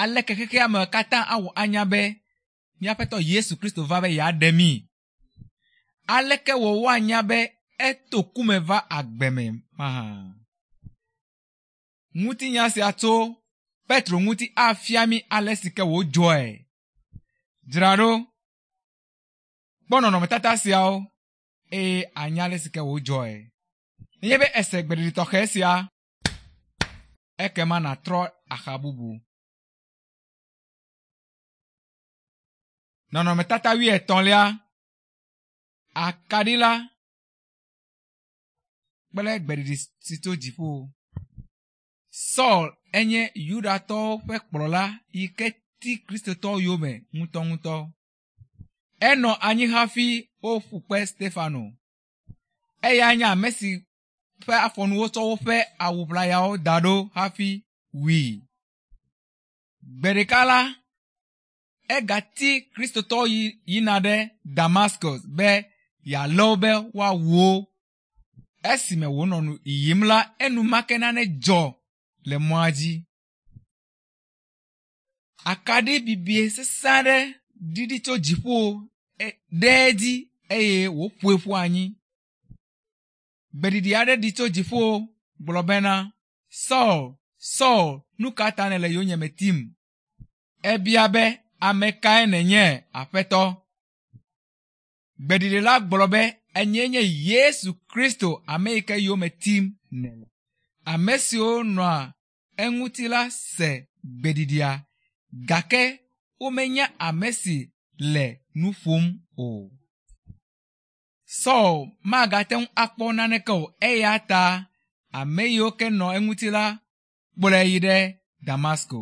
Aleke xexea me katã awɔ anya be míaƒetɔ Yesu Kristo va be yeaɖe mí? Aleke wɔ woanya be eto ku me va agbe me mahã? Ŋutinya sia tso Petro ŋuti afia mí ale si ke wòdzɔe. Dzra ɖo. Kpɔ nɔnɔmetata siawo eye anya ale si ke wòdzɔe. Nenye be ese gbeɖiɖi tɔxɛ sia, ekema nàtrɔ axa bubu. Nɔnɔmetata wuietɔ̃lia, akaɖi la kple gbeɖiɖi si tso dziƒo. Saul enye Yudatɔwo ƒe kplɔla yi ke ti Kristotɔwo yome ŋutɔŋutɔ. Enɔ anyi hafi woƒu kpe Stefano. Eyae nye ame si ƒe afɔnu wotsɔ woƒe awu ʋlayawo da ɖo hafi wui. Gbe ɖeka la, egati Kristotɔwo yi yina ɖe Damascus be yealé wo be woawu wo. Esime wònɔ nu yiyim la, enumake nane dzɔ le mɔa dzi. Akaɖi bibie sesẽ aɖe ɖiɖi tso dziƒo ɖe edzi eye wòƒoe ƒu anyi. Gbeɖiɖi aɖe ɖi tso dziƒo gblɔ bena, Saul, Saul, nu ka ta nèle yonyeme tim? Ebia be, ame kae nènye, Aƒetɔ? Gbeɖiɖi la gblɔ be, enyee nye Yesu Kristo, ame yi ke yome tim nèle. Ame siwo nɔa eŋuti la se gbeɖiɖia gake womenya ame si le nu ƒom o. Saul magate ŋu akpɔ naneke o eya ta ame yiwo ke nɔ eŋuti la kplɔe yi ɖe Damasko.